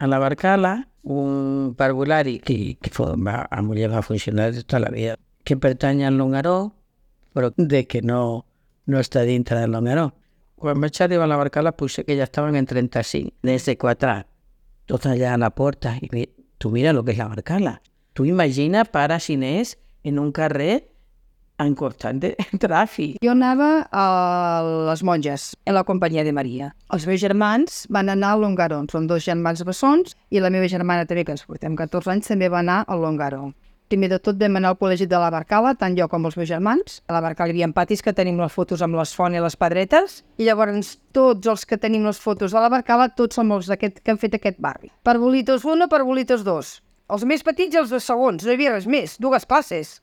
a la Barcala un parvulari que a muller va funcionar tota la vida, que pertany al Longaró, però de que no està dintre del Longaró. Quan vaig arribar a la Barcala potser que ja estaven en 35, des de 4, tot allà a la porta, i tu mira el que és la Barcala. Tu imagina pares i nens en un carrer en constant tràfic. Jo anava a les monges, en la companyia de Maria. Els meus germans van anar al Longaró, són 2 germans bessons, i la meva germana també, que ens portem 14 anys, també va anar al Longaró. Primer de tot vam anar al col·legi de la Barcala, tant jo com els meus germans. A la Barcala hi havia patis que tenim les fotos amb les fonts i les pedretes, i llavors tots els que tenim les fotos de la Barcala, tots som els que han fet aquest barri. Parbolitos 1, Parbolitos 2. Els més petits i els de segons, no hi havia res més, 2 classes.